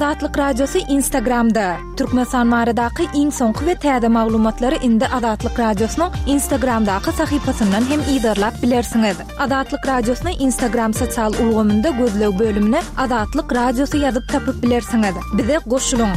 Azatlyk Radiosy Instagramda! Türkmenistan baradaky iň soňky we täze maglumatlary indi Azatlyk Radiosynyň Instagramdaky sahypasyndan hem yzarlap bilersiňiz. Azatlyk Radiosyny Instagram sosial ulgamynda gözleg bölümine Azatlyk Radiosy ýazyp tapyp bilersiňiz. Bize goşulyň!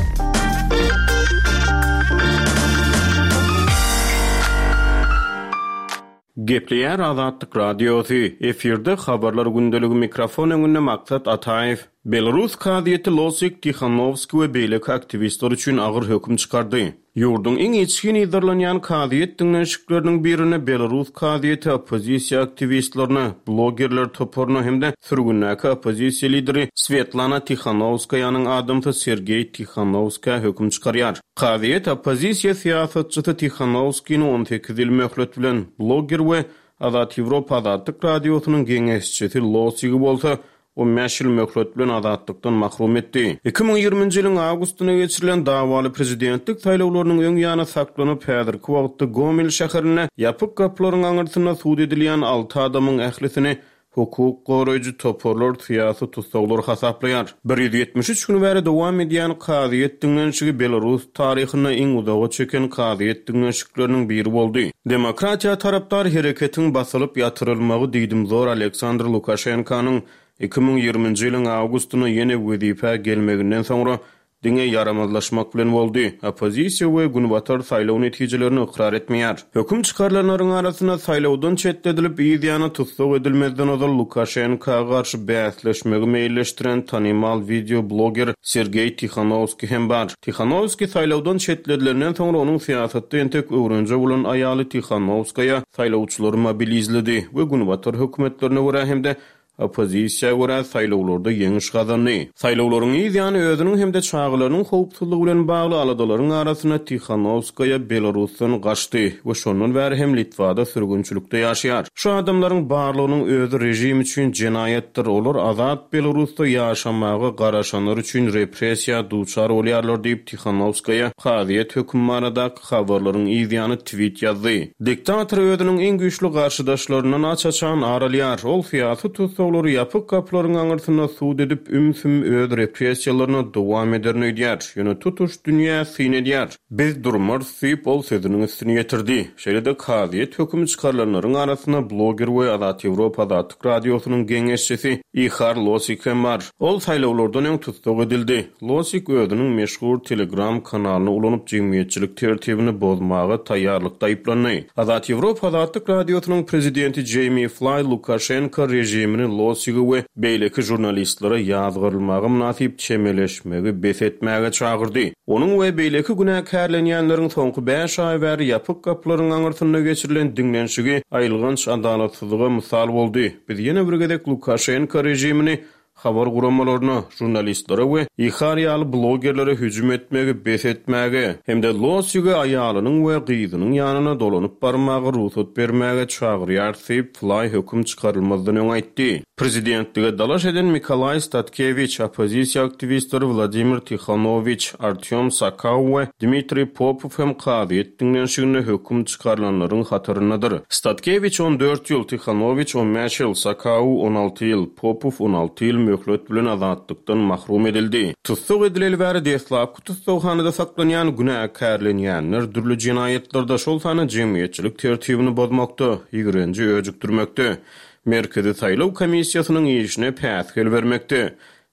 Gepleýär Azatlyk Radiosy, efirde Habarlar gündeligi mikrofon öňünde Maksat Ataýew. Belarus kazyýeti Losik, Tihanowski we beýleki aktiwistler üçin agyr höküm çykardy. Ýurduň iň içgin yzarlanýan kazyýet diňlenişikleriniň birinde belarus kazyýeti oppozisiýa aktiwistlerine, blogerler toparyna hem-de sürgündäki oppozisiýa lideri Swetlana Tihanowskaýanyň adamsy Sergeý Tihanowskä höküm çykarýar. Kazyýet oppozisiýa syýasatçysy Tihanowskini 18 ýyl möhlet bilen, bloger we Azat Ýewropa Azatlyk Radiosynyň geňeşçisi Losigi bolsa 15 ýyl möhlet bilen azatlykdan mahrum etdi. 2020-nji ýylyň awgustynda geçirilen dawaly prezidentlik saýlawlarynyň öň ýany saklanyp, häzirki wagtda Gomel şäherinde ýapyk gapylaryň aňyrsynda sud edilýän alty adamyň ählisini Hukuk goraýjy toparlar syýasy tussaglar hasaplaýar. 173 gün bäri dowam edýän kazyýet diňlenişigi belarus taryhynda iň uzaga çeken kazyýet diňlenişikleriniň biri boldy. Demokratiýa tarapdar hereketiň basylyp ýatyrylmagy diýdimzor Aleksandr Lukaşenkanyň 2020-nji ýylyň awgustynda ýene wezipä gelmeginden soňra Diňe ýaramazlaşmak bilen boldy. Oppozisiýa we Günbatar saýlaw netijelerini ykrar etmeýär. Höküm çykarylanlaryň arasynda saýlawdan çetledilip, yz ýany tussag edilmezden ozal Lukaşenka garşy bäsleşmegi meýilleşdiren tanymal wideo bloger Sergeý Tihanowskiý hem bar. Tihanowskiý saýlawdan çetledilenden soňra onuň syýasatda entek öwrenje bolan aýaly Tihanowskaýa saýlawçylary mobilizledi we Günbatar hökümetlerine görä hem-de Oppozisiýa görä, saýlawlarda ýeňiş gazandy. Saýlawlaryň yz ýany özüniň hem-de çagalarynyň howpsuzlygy bilen bagly aladalaryň arasynda Tihanowskaýa Belarusdan gaçdy we şondan bäri hem Litwada sürgünçilikde ýaşaýar. Şu adamlaryň barlygynyň özi režim üçin jenaýatdyr, olar azat Belarusda ýaşamaga garaşanlar üçin repressiýa duçar bolýarlar diýip, Tihanowskaýa kazyýet hökümi baradaky habarlaryň yz ýany twit ýazdy. Diktator özüniň iň güýçli garşydaşlaryndan aç-açan ar alýar. Ol syýasy tussaglary ýapyk gapylaryň aňyrsynda sud edip, üm-süm öz repressiýalaryna dowam ederin öýdýär. Ýöne tutuş dünýä syn edýär. Biz durmarys diýip, ol sözüniň üstüni ýetirdi. Şeýle-de kazyýet hökümi çykarylanlaryň arasynda bloger we Azat Ýewropa Azatlyk Radiosynyň geňeşçisi Ihar Losik hem bar. Ol saýlawlardan öň tussag edildi. Losik özüniň meşhur Telegram kanalyny ulanyp jemgyýetçilik tertibini bozmaga taýýarlykda aýyplandy. Azat Ýewropa Azatlyk Radiosynyň prezidenti Jeými Flaý Lukaşenko režimini Losigi we beýleki žurnalistlere ýazgarylmaga mynasyp çemeleşmegi bes etmäge çagyrdy. Onuň we beýleki günäkärlenýänleriň soňky bäş aý bäri ýapyk gapylaryň aňyrsynda geçirilen diňlenişigi aýylganç adalatsyzlyga mysal boldy. Biz ýene bir gezek Lukaşenko režimini habar guramalaryna, žurnalistlere we Ihar ýaly blogerlere hüjüm etmegi bes etmäge hem-de Losige aýalynyň we gyzynyň ýanyna dolanyp barmaga rugsat bermäge çagyrýarys diýip, Flaý höküm çykarylmazdan öň aýtdy. Prezidentlige dalaş eden Mikolaý Statkewiç, oppozisiýa aktiwistleri Wladimir Tihanowiç, Artýom Sakau we Dmitriý Popow hem kazyýet diňlenişiginde höküm çykarylanlaryň hataryndadyr. Statkewiç 14 ýyl, Tihanowiç 15 ýyl, Sakau 16 ýyl, Popow 16 ýyl möhlet bilen azatlykdan mahrum edildi. Tussag edileli bäri deslapky tussaghanada saklanýan günäkärlenýänler dürli jenaýatlarda, şol sanda jemgyýetçilik tertibini bozmakda, ýigrenji öjükdirmekde, Merkezi saýlaw komissiýasynyň işine päsgel bermekde,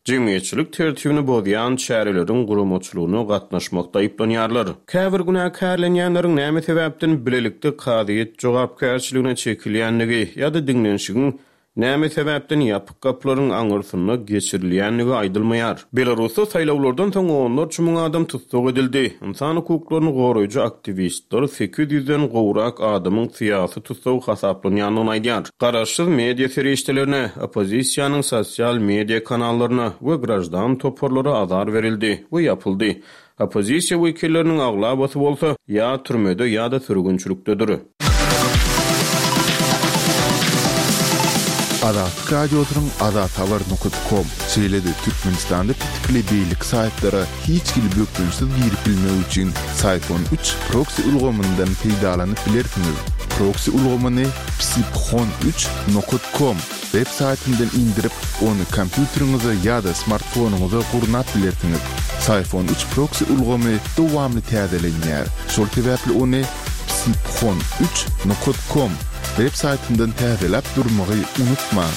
jemgyýetçilik tertibini bozýan çäreleriň guramaçylygyna gatnaşmakda aýyplanýarlar. Käbir günäkärlenýänleriň näme sebäpden bilelikde kazyýet jogapkärçiligine çekilýändigi ýa-da diňlenişigiň Näme sebäpden ýapyk gapylaryň aňyrsynda geçirilýändigi aýdylmaýar. Belarusda saýlawlardan soň onlarça müň adam tussag edildi. Ynsan hukuklaryny goraýjy aktiwistler sekiz ýüzden gowrak adamyň syýasy tussag hasaplanýandygyny aýdýar. Garaşsyz media serişdelerine, oppozisiýanyň sosial media kanallaryna we graždan toparlara azar berildi we ýapyldy. Oppozisiýa wekilleriniň aglabasy bolsa ýa türmede ýa-da sürgünçilikdedir. Azatlyk Radiosynyň azathabar nokat kom, şeýle-de Türkmenistanda petikli beýleki saýtlara hiç hili bökdençsiz girip bilmek üçin Syfon üç proksi ulgamyndan peýdalanyp bilersiňiz. Proksi ulgamyny Psiphon üç nokat kom web saýtyndan indirip, ony kompýuteriňize ýa-da smartfonyňyza gurnap bilersiňiz. Psiphon üç proksi ulgamy dowamly täzelenýär, şol sebäpli ony Psiphon üç nokat kom web saýtyndan täzeläp durmagy unutmaň!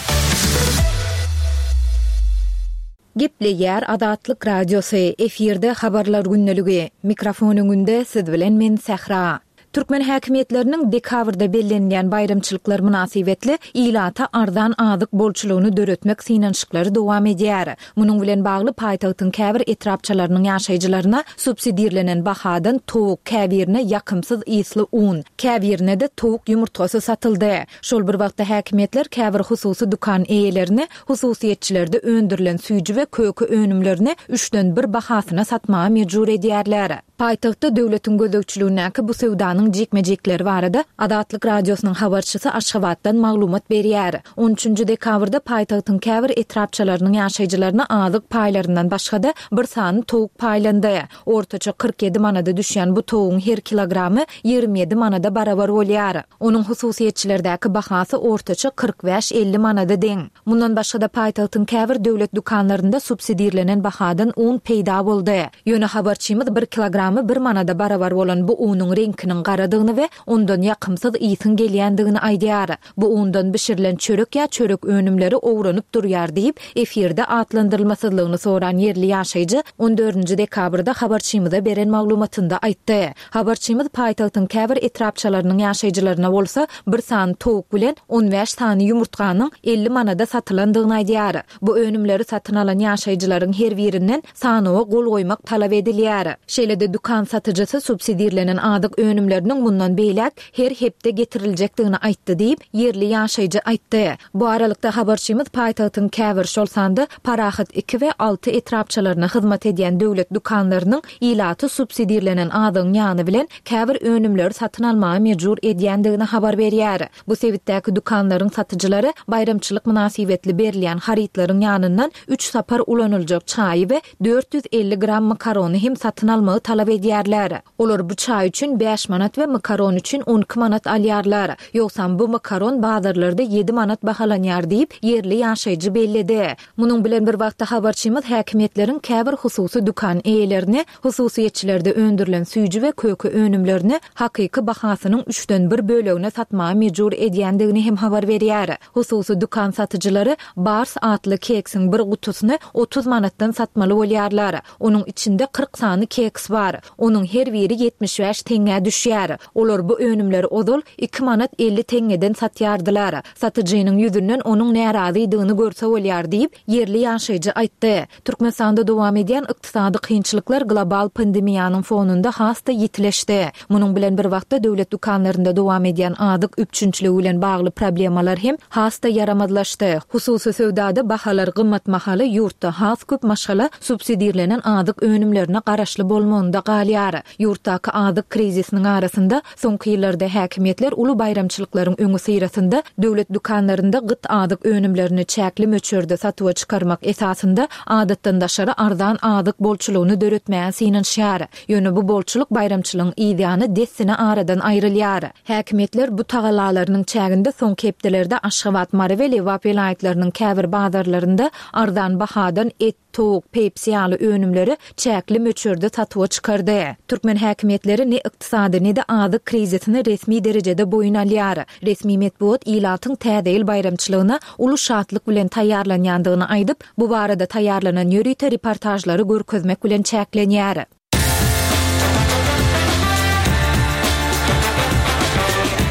Gepleýär Azatlyk Radiosy, efirde Habarlar gündeligi. Mikrofon öňünde siz bilen men Sähra. Türkmen häkimiýetleriniň dekabrda bellenilýän baýramçylyklar mynasybetli ilata arzan azyk bolçulygyny döretmek synanyşyklary dowam edýär. Munuň bilen bagly paýtagtyň käbir etrapçalarynyň ýaşaýjylaryna subsidirlenen bahadan towuk, käbirine ýakymsyz ysly un, käbirine-de towuk ýumurtgasy satyldy. Şol bir wagtda häkimiýetler käbir hususy dükan eýelerini hususyýetçilerde öndürilen süýji we köke önümlerini üçden bir bahasyna satmaga mejbur edýärler. Paýtagtda döwletiň gözegçiligindäki bu söwdanyň jikme-jikleri barada Azatlyk Radiosynyň habarçysy Aşgabatdan maglumat berýär. On üçünji dekabrda paýtagtyň käbir etrapçalarynyň ýaşaýjylaryna azyk paýlaryndan başga-da bir sany towuk paýlandy. Ortaça 47 manada düşýän bu towugyň her kilogramy 27 manada barabar bolýar. Onuň hususyýetçilerdäki bahasy ortaça 45-50 manada deň. Mundan başga-da paýtagtyň käbir döwlet dükanlarynda subsidirlenen bahadan un peýda boldy. Ýöne habarçymyz bir kilogramy bir manada barabar bolan bu unuň reňkiniň garadygyny we ondan ýakymsyz ysyň gelýändigini aýdýar. Bu undan bişirilen çörek ýa çörek önümleri owranyp durýar diýip, efirde atlandyrylmasyzlygyny soran ýerli ýaşaýjy on dördünji dekabrda habarçymyza beren maglumatynda aýtdy. Habarçymyz paýtagtyň käbir etrapçalarynyň ýaşaýjylaryna bolsa bir sany towuk bilen on bäş sany ýumurtganyň 50 manada satylandygyny aýdýar. Bu önümleri satyn alan ýaşaýjylaryň her birinden sanawa gol goýmak talap edilýär. Şeýle-de dükan satyjysy subsidirlenen azyk önümleriniň mundan beýläk her hepde getiriljekdigini aýtdy diýip, ýerli ýaşaýjy aýtdy. Bu aralykda, habarçymyz paýtagtyň käbir, şol sanda Parahat iki we alty etrapçalaryna hyzmat edýän döwlet dükanlarynyň ilaty subsidirlenen azygyň ýany bilen käbir önümleri satyn almaga mejbur edýändigini habar berýär. Bu sebitdäki dükanlaryň satyjylary baýramçylyk mynasybetli berilýän harytlaryň ýanyndan üç sapar ulanyljak çaýy we 450 gram makarony hem satyn almagy talap edýärler. Olar bu çaý üçin bäş manat we makaron üçin 12 manat alýarlar. Ýogsam bu makaron bazarlarda ýedi manat bahalanýar diýip, ýerli ýaşaýjy belledi. Munuň bilen bir wagtda habarçymyz häkimiýetleriň käbir hususy dükan eýelerini hususyýetçilerde öndürilen süýji we köke önümlerini hakyky bahasynyň üçden bir bölegine satmaga mejbur edýändigini hem habar berýär. Hususy dükan satyjylary Bars atly keksiň bir gutusyny 30 manatdan satmaly bolýarlar. Onuň içinde 40 sany keks bar. Onuň her biri 75 teňňä düşýär. Olar bu önümleri ozal iki manat 50 teňňeden satýardylar. Satyjynyň ýüzünden onuň närazydygyny görse bolýar diýip, ýerli ýaşaýjy aýtdy. Türkmenistanda dowam edýän ykdysady kynçylyklar global pandemiýanyň fonunda has-da ýitileşdi. Munuň bilen bir wagtda döwlet dükanlarynda dowam edýän azyk üpjünçiligi bilen bagly problemalar hem has-da ýaramazlaşdy. Hususy söwdada bahalar gymmat mahaly ýurtda has köp maşgala subsidirlenen azyk önümlerine garaşly bolmagynda galýar. Ýurtdaky azyk krizisiniň arasynda, soňky ýyllarda häkimiýetler uly baýramçylyklaryň öňüsyrasynda döwlet dükanlarynda gyt azyk önümlerini çäkli möçberde satuwa çykarmak esasynda adatdan daşary arzan azyk bolçulygyny döretmäge synanyşýar. Ýöne bu bolçulyk baýramçylygyň yzýany dessine aradan aýrylýar. Häkimiýetler bu tagallalarynyň çäginde soňky hepdelerde Aşgabat, Mary we Lebap welaýatlarynyň käbir bazarlarynda arzan bahadan et, towuk, pepsi ýaly önümleri çäkli möçberde satuwa çykardy. Türkmen häkimiýetleri ne ykdysady, ne-de azyk krizisini resmi derejede boýun alýar. Resmi metbugat ilatyň Täze ýyl baýramçylygyna uly şatlyk bilen taýýarlanýandygyny aýdyp, bu barada taýýarlanan ýörite reportažlary görkezmek bilen çäklenýär.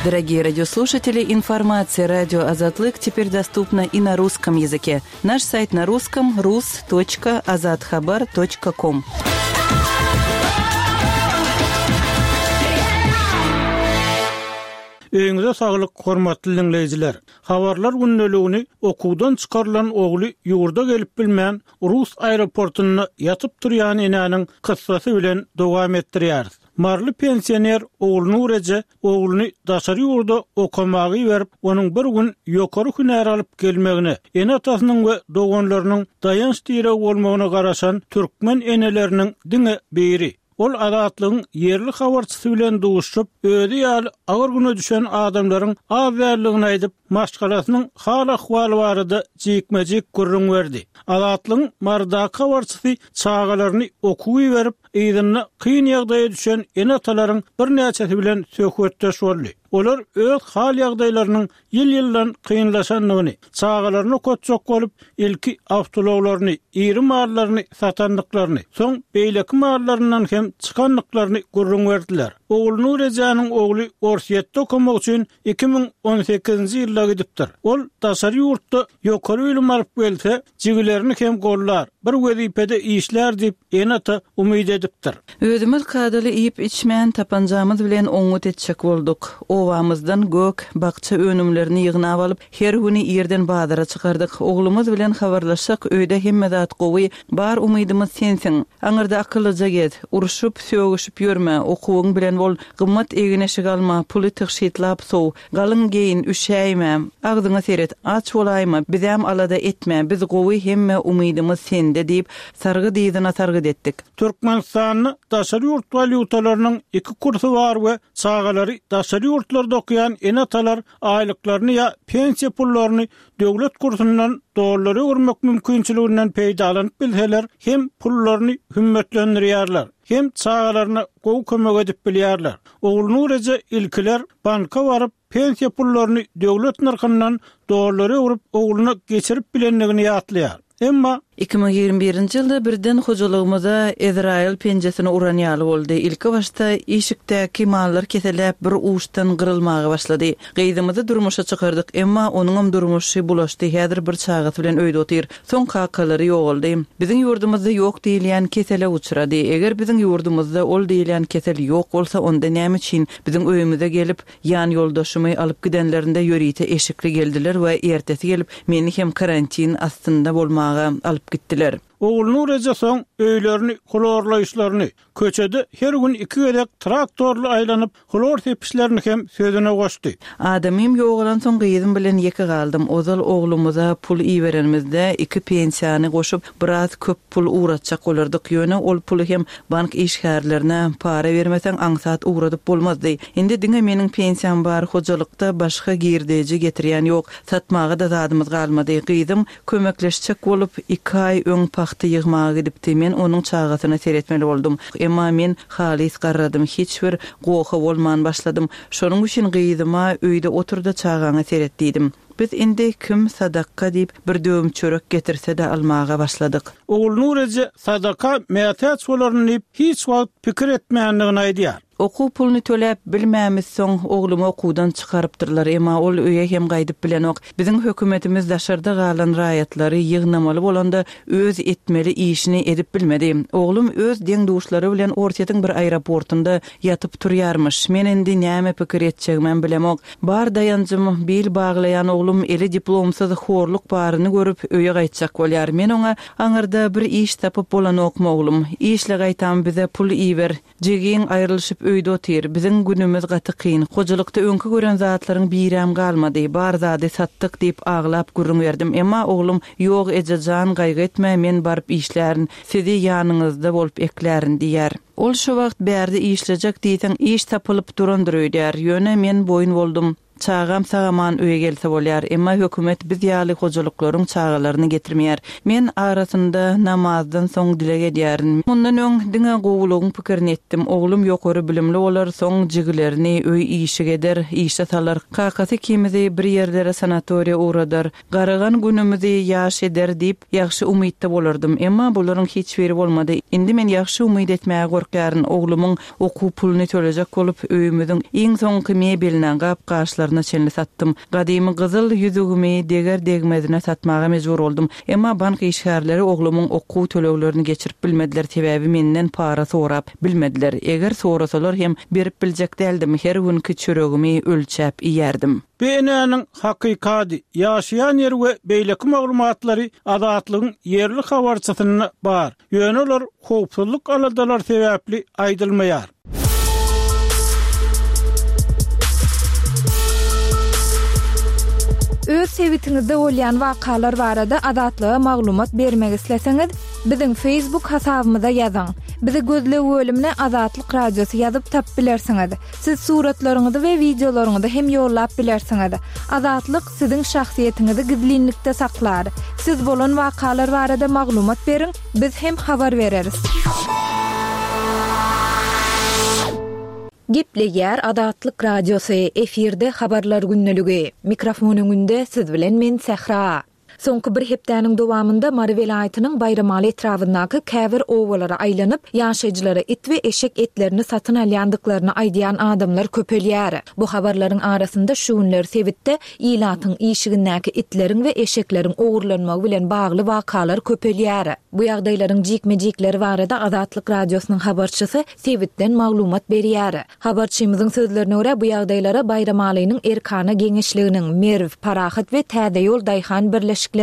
Дорогие радиослушатели, информация радио Азатлык теперь доступна и на русском языке. Наш сайт на русском rus.azathabar.com. Öýüňize saglyk, hormatly diňleýjiler! Habarlar gündeligini okuwdan çykarylan ogly ýurda gelip bilmän, rus aeroportunda ýatyp-turýan enäniň kyssasy bilen dowam etdirýäris. Maryly pensioner Ogulnur eje ogluny daşary ýurda okamaga iberip, onuň bir gün ýokary hünär alyp gelmegine, ene-atasynyň we doganlarynyň daýanç-diregi bolmagyna garaşan türkmen eneleriniň diňe biri. Ol Azatlygyň ýerli habarçysy bilen duşuşyp, özi ýaly agyr güne düşen adamlaryň az däldigini aýdyp, maşgalasynyň hal-ahwaly barada jikme-jik gürrüň berdi. Azatlygyň Marydaky habarçysy çagalaryny okuwa iberip, yzynda kyn ýagdaýa düşen ene-atalaryň birnäçesi bilen söhbetdeş boldy. Olar öz hal-ýagdaýlarynyň ýyl-ýyldan kynlaşandygyny, çagalaryny okatjak bolup, ilki awtoulaglaryny, iri mallaryny satandyklaryny, soň beýleki mallaryndan hem çykandyklaryny gürrüň berdiler. Ogulnur ejäniň ogly Orsýetde okamak üçin 2018-nji ýylda gidipdir. Ol daşary ýurtda ýokary bilim alyp gelse, jigilerini hem gollar, bir wezipede işlär diýip, ene-ata umyt edipdir. Özümiz kadaly iýip-içmän, tapanjamyz bilen oňňut etjek bolduk. Obamyzdan gök, bakja önümlerini ýygnap alyp, her güni irden bazara çykardyk. Oglumyz bilen habarlaşsak, öýde hemme zat gowy, bar umydymyz sensiň. Aňyrda akyllyja gez, urşup, sögüşip ýörme, okuwyň bilen bol, gymmat egin-eşik alma, puly tygşytlap sow, Galyň geýin, üşäýme, agzyňa seret, aç bolaýma, bizäm alada etme, biz gowy, hemme umydymyz sende diýip, sargyt yzyna sargyt etdik. Türkmenistanda daşary ýurt walýutalarynyň iki kursy bar we çagalary daşary ýurtlarda okaýan ene-atalar aýlyklaryny ýa pensiýa pullaryny döwlet kursundan dollara öwürmek mümkinçiliginden peýdalanyp bilseler hem pullaryny hümmetlendirýärler, hem çagalaryna gowy kömek edip bilýärler. Ogulnur eje ilkiler banka baryp, pensiýa pullaryny döwlet nyrhyndan dollara öwrüp ogluna geçirip bilendigini ýatlaýar. Emma. 2021-nji ýylda birden hojalygymyza Ezraýyl penjesini uran ýaly boldy. Ilkibaşda işikdäki mallar keseläp bir uçdan gyrylmaga başlady. Gyzymyzy durmuşa çykardyk, emma onuňam durmuşy bulaşdy, häzir bir çagasy bilen öýde otyr. Soň kakalary ýogaldy. Biziň ýurdumyzda ýok diýilýän kesele uçrady. Eger biziň ýurdumyzda ol diýilýän kesel ýok bolsa, onda näme üçin biziň öýümize gelip, ýan ýoldaşymy alyp gidenlerinde ýörite eşikli geldiler we ertesi gelip meni hem karantin astynda bolmaga alyp gitdiler. Ogulnur eje soň öýlerini hlorlaýyşlaryny, Köçede her gün iki gezek traktorly aýlanyp, hlor sepişlerini hem sözüne goşdy. Adamym ýogalansoň gyzym bilen ýeke galdym. Ozal oglumyza pul iberenimizde iki pensiýany goşup biraz köp pul ugratjak bolardyk. Ýöne ol puly hem bank işgärlerine para bermeseň aňsat ugradyp bolmazdy. Indi diňe meniň pensiýam bar, hojalykda başga girdeji getirýän ýok. Satmaga-da zadymyz galmady. Gyzym Kömekleşjek bolup, iki aý öň pagta ýygmaga gidipdi. Men onuň çagasyna seretmeli boldum. Emma men halys garradym, hiç bir goha bolman başladym. Şonuň üçin gyzyma öýde otur-da çagaňa seret diýdim. Biz indi kim sadakga diýip bir döwüm çörek getirse-de almaga başladyk. Ogulnur eje sadaka mätäç bolaryn diýip hiç wagt pikir etmändigini aýdýar. Okuw puluny töläp bilmämizsoň, oglumy okuwdan çykarypdyrlar, emma ol öýe hem gaýdyp bilenok. Biziň hökümetimiz daşarda galan raýatlary ýygnamaly bolanda öz etmeli işini edip bilmedi. Oglum öz deň-duşlary bilen Orsýetiň bir aeroportunda ýatyp turýarmyş. Men indi näme pikir etjegimem bilemok. Bar daýanjym, bil baglaýan oglum eli diplomsyz horluk baryny görüp öýe gaýtjak bolýar. Men oňa, Aňyrda bir iş tapyp bolanokmy oglum? Işle gaýtam bize pul iber. Jigiň aýrylyşyp öýde otyr. Biziň günümiz gaty kyn. Hojalykda öňki gören zatlaryň birem galmady. Bar zady satdyk diýip aglap gürrüň berdim. Emma oglum, Ýok eje jan gaýgy etme, men baryp işlärin. Sizi ýanyňyzda bolup eklärin diýýär. Ol şo wagt bärde işlejek diýseň iş tapylyp durandyr öýdýär. Ýöne men boýun boldum. Çagam sag-aman öýe gelse bolýar, emma hökümet biz ýaly hojalyklaryň çagalaryny getirmeýär. Men arasynda namazdan soň dileg edýärin. Mundan öň diňe gowulygyň pikirini etdim. Oglum ýokary bilimli bolar, soň jigilerini öý-işik eder, işe salar. Kakasy ikimizi bir ýerlere sanatoriýa ugradar. Garagan günümizi ýaş eder diýip, ýagşy umytda bolardym. Emma bularyň hiç biri bolmady. Indi men ýagşy umyt etmäge gorkýaryn. Oglumyň okuw puluny tölejek bolup, öýümiziň iň soňky mebeline, gap-gaçlaryna çenli satdym. Gadymy gyzyl ýüzügimi deger-degmezine satmaga mejbur boldum. Emma bank işgärleri oglumyň okuw töleglerini geçirip bilmediler, sebäbi menden para sorap bilmediler. Eger sorasalar hem berip biljek däldim, her günki çöregimi ölçäp iýerdim. Bu enäniň hakyky ady, ýaşaýan ýeri we beýleki maglumatlary Azatlygyň ýerli habarçysynda bar, ýöne olar howpsuzlyk aladalary sebäpli aýdylmaýar. Öz sebitiňizde bolýan wakalar barada Azatlyga maglumat bermek isleseňiz, biziň Facebook hasabymyza ýazyň. Bizi gözleg bölümine Azatlyk Radiosy ýazyp tapyp bilersiňiz. Siz suratlaryňyzy we wideolaryňyzy hem ýollap bilersiňiz. Azatlyk siziň şahsyýetiňizi gizlinlikde saklar. Siz bolan wakalar barada maglumat beriň, biz hem habar bereris. Gepleýär Azatlyk Radiosy, efirde Habarlar gündeligi. Mikrofon öňünde siz bilen men Sähra. Soňky bir hepdäniň dowamynda Mary welaýatynyň Baýramaly etrabyndaky käbir obalara aýlanyp, ýaşaýjylara it we eşek etlerini satyn alýandyklaryny aýdýan adamlar köpelýär. Bu habarlaryň arasynda şu günler sebitde ilatyň işigindäki itleriň we eşekleriň ogurlanmagy bilen bagly wakalar köpelýär. Bu ýagdaýlaryň jikme-jikleri barada Azatlyk Radiosynyň habarçysy sebitden maglumat berýär. Habarçymyzyň sözlerine görä, bu ýagdaýlara Baýramalynyň Erkana geňeşliginiň, Merw, Parahat we Täzeýol daýhan birleşikleriniň,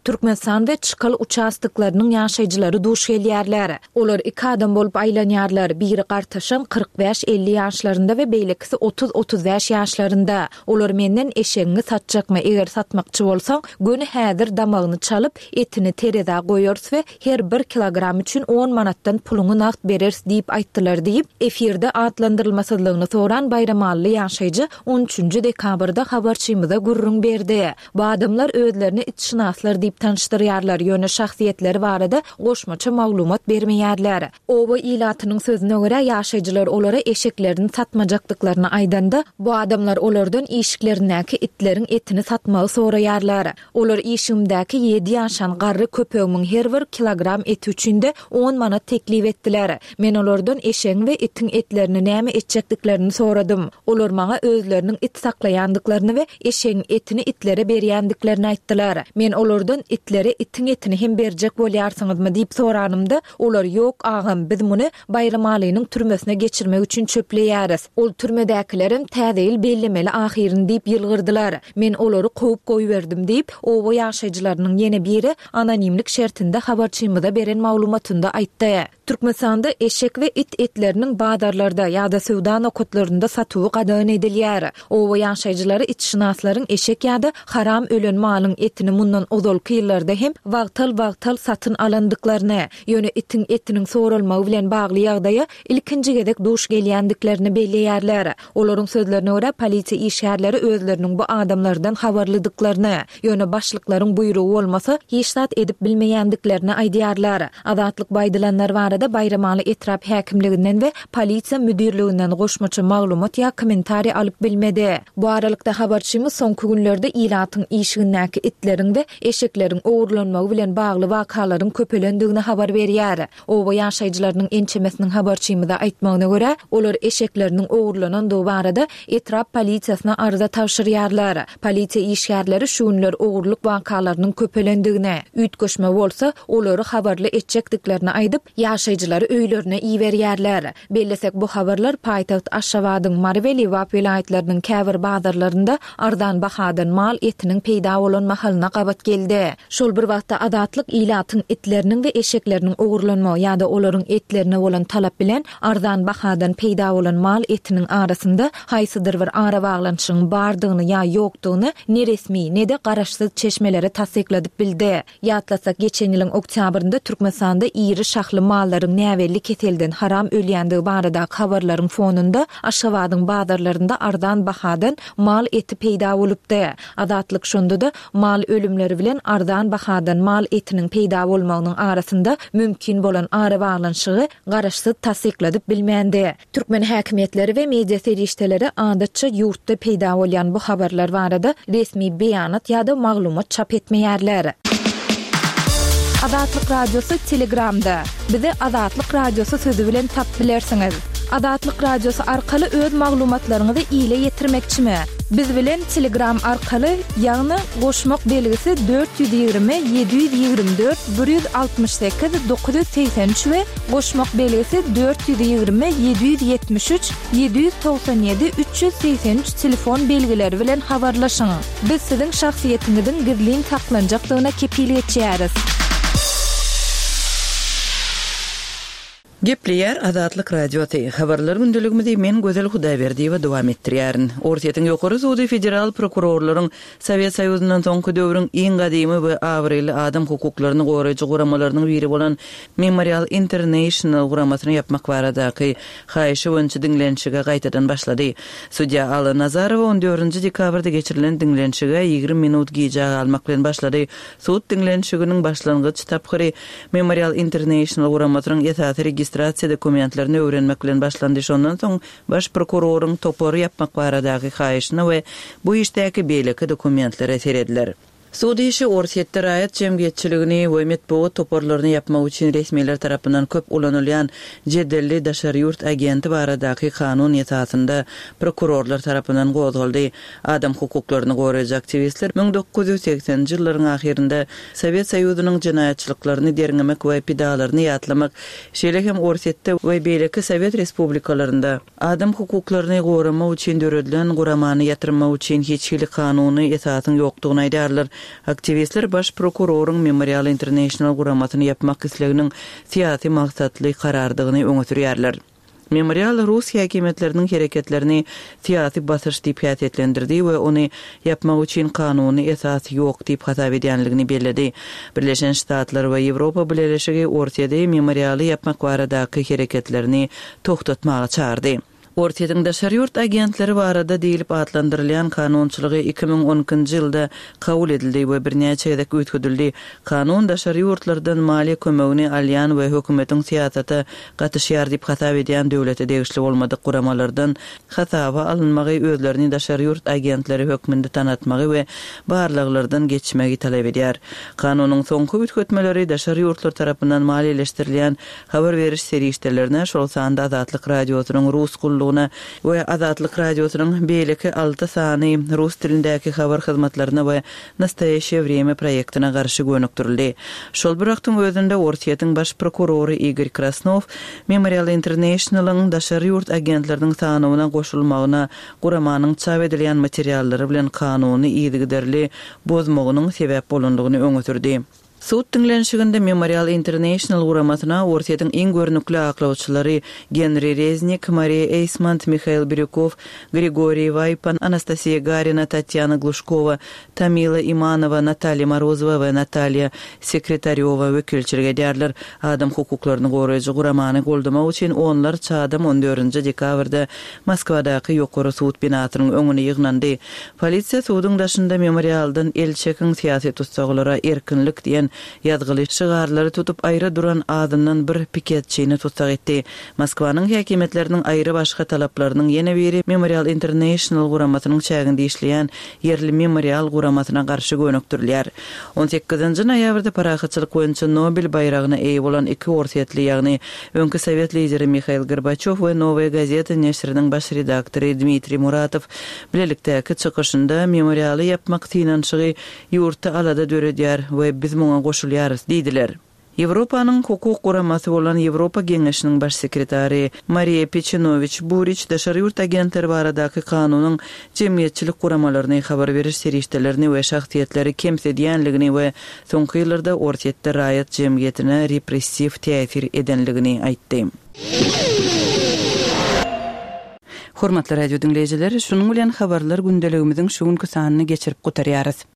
Türkmenistan we Çykal uçastoklarynyň ýaşaýjylary duş gelýärler. Olar iki adam bolup aýlanýarlar, biri gartaşan 45-50 ýaşlarynda we beýlekisi 30-35 ýaşlarynda. Olar menden eşegiňi satjakmy, eger satmakçy bolsaň, göni häzir damagyny çalyp, etini terezä goýarys we her bir kilogram üçin on manatdan puluňy nagt bereris diýip aýtdylar diýip, efirde atlandyrylmasyzlygyny soran baýramally ýaşaýjy on üçünji dekabrda habarçymyza gürrüň berdi. Bu adamlar özlerini itşynaslar diýip tanyşdyrýarlar, ýöne şahsyýetleri barada goşmaça maglumat bermeýärler. Oba ilatynyň sözüne görä, ýaşaýjylar olara eşeklerini satmajakdyklaryny aýdanda, bu adamlar olardan işiklerindäki itleriň etini satmagy soraýarlar. Olar işigimdäki ýedi ýaşan garry köpegimiň her bir kilogram eti üçin-de on manat teklip etdiler. Men olardan eşegiň we itiň etlerini näme etjekdiklerini soradym. Olar maňa özleriniň it saklaýandyklaryny we eşegiň etini itlere berýändiklerini aýtdylar. Men olardan itlere itiň etini hem berjek bolýarsyňyzmy diýip soranymda, olar ýok agam, biz muny Baýramalynyň türmesine geçirmek üçin çöpleýäris. Ol türmedäkilerem Täze ýyl bellemeli ahyryn diýip ýylgyrdylar. Men olary kowup goýberdim diýip, oba ýaşaýjylarynyň ýene biri anonimlik şertinde habarçymyza beren maglumatynda aýtdy. Türkmenistanda eşek we it etleriniň bazarlarda ýa-da söwda nokatlarynda satuwy gadagan edilýär. Oba ýaşaýjylary itşynaslaryň eşek ýa-da haram ölen malyň etini mundan ozalky ýyllarda hem wagtal-wagtal satyn alandyklaryny, Ýöne itiň etiniň soralmagy bilen bagly ýagdaýa ilkinji gezek duş gelýändiklerini belleýärler. Olaryň sözlerine görä, polisiýa işgärleri özleriniň bu adamlardan habarlydyklaryny, ýöne başlyklaryň buýrugy bolmasa, hiç zat edip bilmeýändiklerini aýdýarlar. Azatlyk bu aýdylanlar barada Baýramaly etrap häkimliginden we polisiýa müdirliginden goşmaça maglumat ýa kommentariý alyp bilmedi. Bu aralykda, habarçymyz soňky günlerde ilatyň işigindäki itleriň we eşekleriň ogurlanmagy bilen bagly wakalaryň köpelendigini habar berýär. Oba ýaşaýjylarynyň ençemesiniň habarçymyza aýtmagyna görä, olar eşekleriniň ogurlanandygy barada etrap polisiýasyna arza tabşyrýarlar. Polisiýa işgärleri şu günler ogurlyk wakalarynyň köpelendigini, üýtgeşme bolsa, olary habarly etjekdiklerini aýdyp, ýaşaýjylary öýlerine iberýärler. Bellesek, bu habarlar paýtagt Aşgabadyň, Mary we Lebap welaýatlarynyň käbir bazarlarynda arzan bahadan mal etiniň peýda bolan mahalyna gabat geldi. Şol bir wagtda, Azatlyk ilatyň itleriniň we eşekleriniň ogurlanmagy ýa-da olaryň etlerine bolan talap bilen arzan bahadan peýda bolan mal etiniň arasynda haýsydyr bir arabaglanyşygyň bardygyny ýa ýokdugyny ne resmi, ne-de garaşsyz çeşmelere tassykladyp bildi. Ýatlasak, geçen ýylyň oktýabrynda Türkmenistanda iri şahly mallaryň näbelli keselden haram ölýändigi baradaky habarlaryň fonunda Aşgabadyň bazarlarynda arzan bahadan mal eti peýda bolupdy. Azatlyk şonda-da mal ölümleri bilen arzan bahadan mal etiniň peýda bolmagynyň arasynda mümkin bolan arabaglanyşygy garaşsyz tassykladyp bilmändi. Türkmen häkimiýetleri we media serişdeleri adatça ýurtda peýda bolýan bu habarlar barada resmi beýanat ýa-da maglumat çap etmeýärler. Azatlyk Radiosy Telegramda, Bizi Azatlyk Radiosy sözi bilen tap bilersiňiz. Azatlyk Radiosy arkaly öz maglumatlaryňyzy ile ýetirmekçimi? Biz bilen Telegram arkaly, ýagny goşmak belgisi 420 724 168 983 we Goşmak belgisi 420 773 797 383 telefon belgileri bilen habarlaşyň. Biz siziň şahsyýetiňiziň gizlin saklanjakdygyna kepil geçýäris. Gepleýär Azatlyk Radiosy, Habarlar gündeligimizi men Gözel Hudaýberdiýewa dowam etdirýärin. Orsýetiň Ýokary sudy federal prokurorlaryň Sowet Soýuzyndan soňky döwrüň iň gadymy we abraýly adam hukuklaryny goraýjy guramalarynyň biri bolan Memorial International guramasyny ýapmak baradaky haýyşy boýunça diňlenişige gaýtadan başlady. Sudýa Alla Nazarowa on dördünji dekabrda geçirilen diňlenişige 20 minut gijä galmak bilen başlady. Sud diňlenişiginiň başlangyç tapgyry Memorial International guramasynyň esasy registrasiýa dokumentlerini öwrenmek bilen başlandy, şondan soň baş prokuroryň topary ýapmak baradaky haýyşyna we bu işdäki beýleki dokumentlere serediler. Sud işi Orsýetde raýat jemgyýetçiligini we metbugat toparlaryny ýapmak üçin resmiler tarapyndan köp ulanylýan jedelli daşary ýurt agenti baradaky kanun esasynda prokurorlar tarapyndan gozgaldy. Adam hukuklaryny goraýjy aktiwistler 1980-nji ýyllaryň ahyrynda Sowet Soýuzynyň jenaýatçylyklaryny derňemek we pidalaryny ýatlamak, şeýle hem Orsýetde we beýleki sowet respublikalarynda adam hukuklaryny goramak üçin döredilen guramany ýatyrmak üçin hiç hili kanuny esasyň ýokdugyny aýdýarlar. Aktiwistler baş prokuroryň Memorial International guramasyny ýapmak isleginiň syýasy maksatly karardygyny öňe sürýärler. Memorial rus häkimiýetleriniň hereketlerini syýasy basyş diýip häsiýetlendirdi we ony ýapmak üçin kanuny esas ýok diýip hasap edýänligini belledi. Birleşen Ştatlar we Ýewropa Bileleşigi Orsýeti Memorialy ýapmak baradaky hereketlerini togtatmaga çagyrdy. Orsýetiň daşary ýurt agentleri barada diýlip atlandyrylýan kanunçylygy 2012-nji ýylda kabul edildi we birnäçe gezek üýtgedildi. Kanun daşary ýurtlardan maliýe kömegini alýan we hökümetiň syýasata gatyşýar diýip hasap edýän döwlete degişli bolmadyk guramalardan hasaba alynmagy, özlerini daşary ýurt agentleri hökmünde tanatmagy we barlaglardan geçmegi talap edýär. Kanunyň soňky üýtgetmeleri daşary ýurtlar tarapyndan maliýeleşdirilýän habar beriş serişdelerine, şol sanda Azatlyk Radiosynyň Rus gullugyna we Azatlyk Radiosynyň beýleki alty sany rus dilindäki habar hyzmatlaryna we Nastoýaşeýe wremýa proýektine garşy gönükdirildi. Şol bir wagtyň özünde Orsýetiň baş prokurory Igor Krasnow Memorial International-yň daşary ýurt agentleriniň sanawyna goşulmagyna guramanyň çap edilýän materiallary bilen kanuny yzygiderli bozmagynyň sebäp bolandygyny öňe sürdi. Sud diňlenişiginde Memorial International guramasyna Orsýetiň iň görnükli aklawçylary Genri Reznik, Mariýa Eýsmont, Mihail Birýukow, Grigoriý Waýpan, Anastasiýa Garina, Tatýana Gluşkowa, Tamila Imanowa, Natalýa Morozowa we Natalýa Sekretarýowa wekilçilik edýärler. Adam hukuklaryny goraýjy guramany goldamak üçin onlarça adam on dördünji dekabrda Moskwadaky Ýokary sud binasynyň öňüne ýygnandy. Polisiýa suduň daşynda Memorialdan el çekiň, syýasy tussaglara erkinlik diýen ýazgyly şygarlary tutup aýra duran azyndan bir piketçini tussag etdi. Moskwanyň häkimiýetleriniň aýry-başga talaplarynyň ýene biri Memorial International guramasynyň çäginde işleýän ýerli Memorial guramasyna garşy gönükdirilýär. On sekizinji noýabrda parahatçylyk boýunça Nobel baýragyna eýe bolan iki orsýetli, ýagny öňki sowet lideri Mihail Gorbaçýow we Nowaýa gazeta neşiriniň baş redaktory Dmitriý Muratow bilelikdäki çykyşynda Memorialy ýapmak synanyşygy ýurtda alada döredýär we biz muňa goşulýarys diýdiler. Ýewropanyň hukuk guramasy bolan Ýewropa Geňeşiniň baş sekretary Mariýa Peçenowiç Buriç daşary ýurt agentleri baradaky kanunyň jemgyýetçilik guramalaryny, habar beriş serişdelerini we şahsyýetleri kemsidýänligini we soňky ýyllarda Orsýetde raýat jemgyýetine repressiw täsir edenligini aýtdy. Hormatly radio diňleýjiler, şunuň bilen Habarlar gündeligimiziň şu günki sanyny geçirip gutarýarys.